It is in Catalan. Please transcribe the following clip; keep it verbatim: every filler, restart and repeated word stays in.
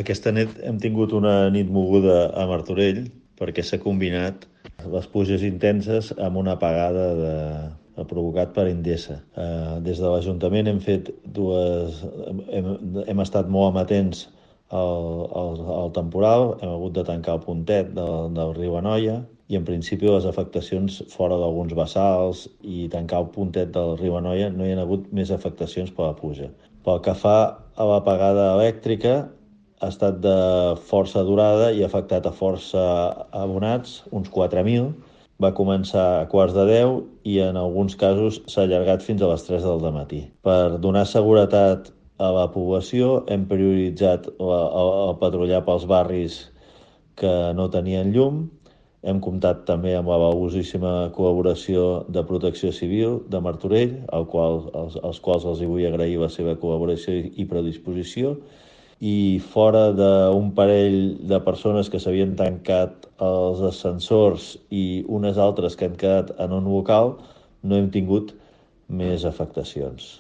Aquesta nit hem tingut una nit moguda a Martorell perquè s'ha combinat les pluges intenses amb una apagada de, provocat per Endesa. Eh, des de l'Ajuntament hem fet dues... Hem, hem estat molt amatents al, al, al temporal, hem hagut de tancar el pontet del, del riu Anoia i en principi les afectacions fora d'alguns bassals i tancar el pontet del riu Anoia no hi ha hagut més afectacions per la pluja. Pel que fa a l'apagada elèctrica, ha estat de força durada i ha afectat a força abonats, uns quatre mil. Va començar a quarts de deu i en alguns casos s'ha allargat fins a les tres del matí. Per donar seguretat a la població hem prioritzat la, el, el patrullar pels barris que no tenien llum. Hem comptat també amb la valuosíssima col·laboració de Protecció Civil de Martorell, al qual, als, als quals els vull agrair la seva col·laboració i predisposició. I fora d'un parell de persones que s'havien tancat els ascensors i unes altres que han quedat en un local, no hem tingut més afectacions.